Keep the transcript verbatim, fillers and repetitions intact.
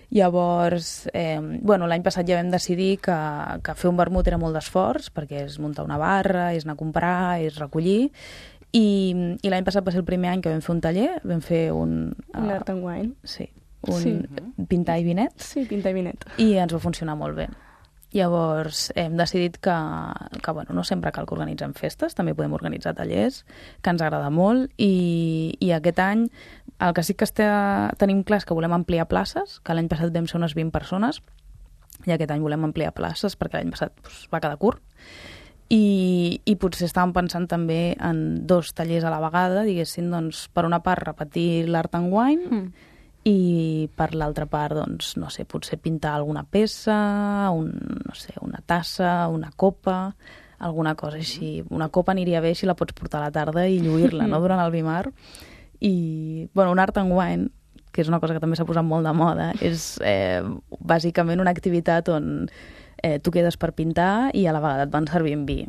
Llavors, eh, bueno, l'any passat ja vam decidir que, que fer un vermut era molt d'esforç, perquè és muntar una barra, és anar a comprar, és recollir, i, i l'any passat va ser el primer any que vam fer un taller, vam fer un... Un art and wine. Sí, un Sí. pintar i vinet, Sí, pintar i vinet. i ens va funcionar molt bé. Llavors hem decidit que, que bueno, no sempre cal que organitzem festes, també podem organitzar tallers, que ens agrada molt, i, i aquest any el que sí que està, tenim clar és que volem ampliar places, que l'any passat vam ser unes vint persones, i aquest any volem ampliar places perquè l'any passat doncs, va quedar curt. I, i potser estàvem pensant també en dos tallers a la vegada, diguéssim, doncs, per una part repetir l'art and wine, Mm. i per l'altra part, doncs, no sé, potser pintar alguna peça, un, no sé, una tassa, una copa, alguna cosa així. Una copa aniria bé si la pots portar a la tarda i lluir-la, no?, durant el Bimar. I, bueno, un art and wine, que és una cosa que també s'ha posat molt de moda, és eh, bàsicament una activitat on eh, tu quedes per pintar i a la vegada et van servir vi.